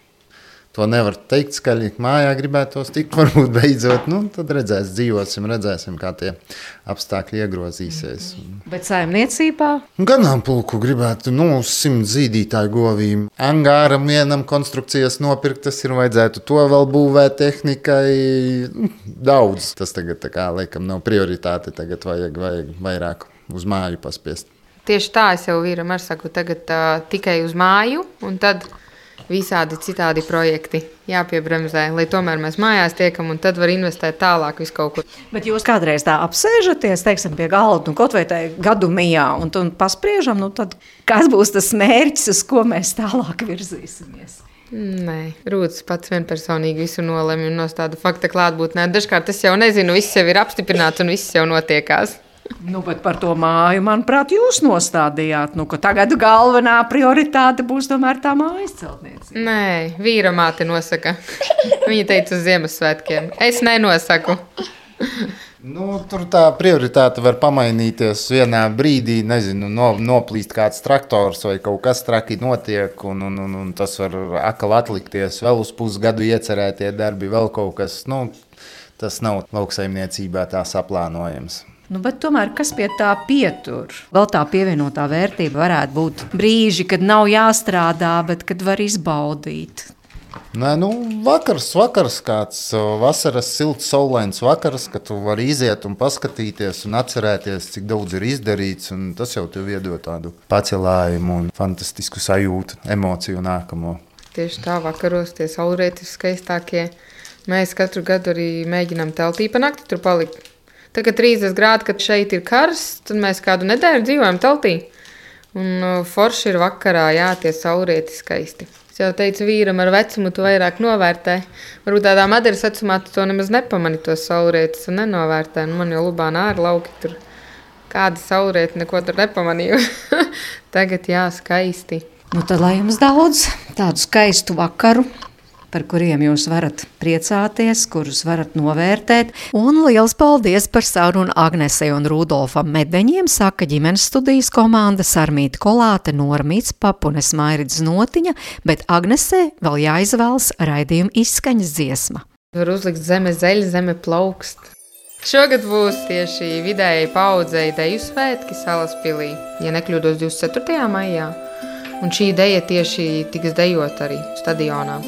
To nevar teikt skaļi, mājā gribētos tikt, varbūt beidzot, nu, tad redzēs, dzīvosim, redzēsim, kā tie apstākļi iegrozīsies. Bet saimniecībā? Ganāmpulku gribētu, nu, uz simt zīdītāju govīm. Angāram vienam konstrukcijas nopirkt, tas ir vajadzētu to vēl būvēt tehnikai, nu, daudz. Tas tagad, tā kā, laikam, nav prioritāte, tagad vajag, vajag vairāk uz māju paspiest. Tieši tā es jau vīram ar saku, tagad uh, tikai uz māju, un tad visādi citādi projekti jāpiebremzē, lai tomēr mēs mājās tiekam un tad var investēt tālāk visu kaut kur. Bet jūs kādreiz tā apsēžaties, teiksim, pie galda, nu, kaut vai tai gadu mijā, un, un paspriežam, nu tad kas būs tas mērķis, uz ko mēs tālāk virzīsimies? Nē, Rūts pats vienpersonīgi visu nolemj un nostāda fakta klātbūtnē. Dažkārt es jau nezinu, viss jau ir apstiprināts un viss jau notiekās. Nu, bet par to māju, manuprāt, jūs nostādījāt, nu, ka tagad galvenā prioritāte būs tomēr tā mājas celtniecība. Nē, vīra māte nosaka. Viņa teica uz Ziemassvētkiem. Es nenosaku. Nu, tur tā prioritāte var pamainīties vienā brīdī, nezinu, no, noplīst kāds traktors vai kaut kas traki notiek, un, un, un, un tas var akal atlikties, vēl uz pusgadu iecerētie darbi, vēl kaut kas, nu, tas nav lauksaimniecībā tā saplānojams. Nu, bet tomēr, kas pie tā pietur? Vēl tā pievienotā vērtība varētu būt brīži, kad nav jāstrādā, bet kad var izbaudīt. Nē, nu, vakars, vakars kāds vasaras silts, saulains vakars, kad tu vari iziet un paskatīties un atcerēties, cik daudz ir izdarīts, un tas jau tev iedod tādu pacelājumu un fantastisku sajūtu, emociju nākamo. Tieši tā vakaros tie saulrieti skaistākie. Mēs katru gadu arī mēģinām teltī pa nakti tur palikt. Tagad trīsdesmit grādi, kad šeit ir karsts, tad mēs kādu nedēļu dzīvojam teltī. Un forši ir vakarā, jā, tie saulrieti skaisti. Es jau teicu vīram, ar vecumu tu vairāk novērtē. Varbūt tādā Madaras vecumā tu to nemaz nepamani, tos saulrietis, un nenovērtē. Nu, man jau Lubānā ir lauki tur. Kādi saulrieti, neko tur nepamanīju. Tagad, jā, skaisti. Nu, tad lai jums daudz tādu skaistu vakaru, par kuriem jūs varat priecāties, kurus varat novērtēt. Un liels paldies par sarunu Agnesei un Rudolfam Medeņiem, saka ģimenes studijas komanda Sarmīta Kolāte, Normīts Papunes Mairits Notiņa, bet Agnesei vēl jāizvēlas raidījuma izskaņas dziesma. Var uzlikt zeme zeļ, zeme plaukst. Šogad būs tieši vidējai paudzei deju svētki Salaspilī, ja nekļūdos divdesmit ceturtajā maijā. Un šī deja tieši tiks dejot arī stadionā.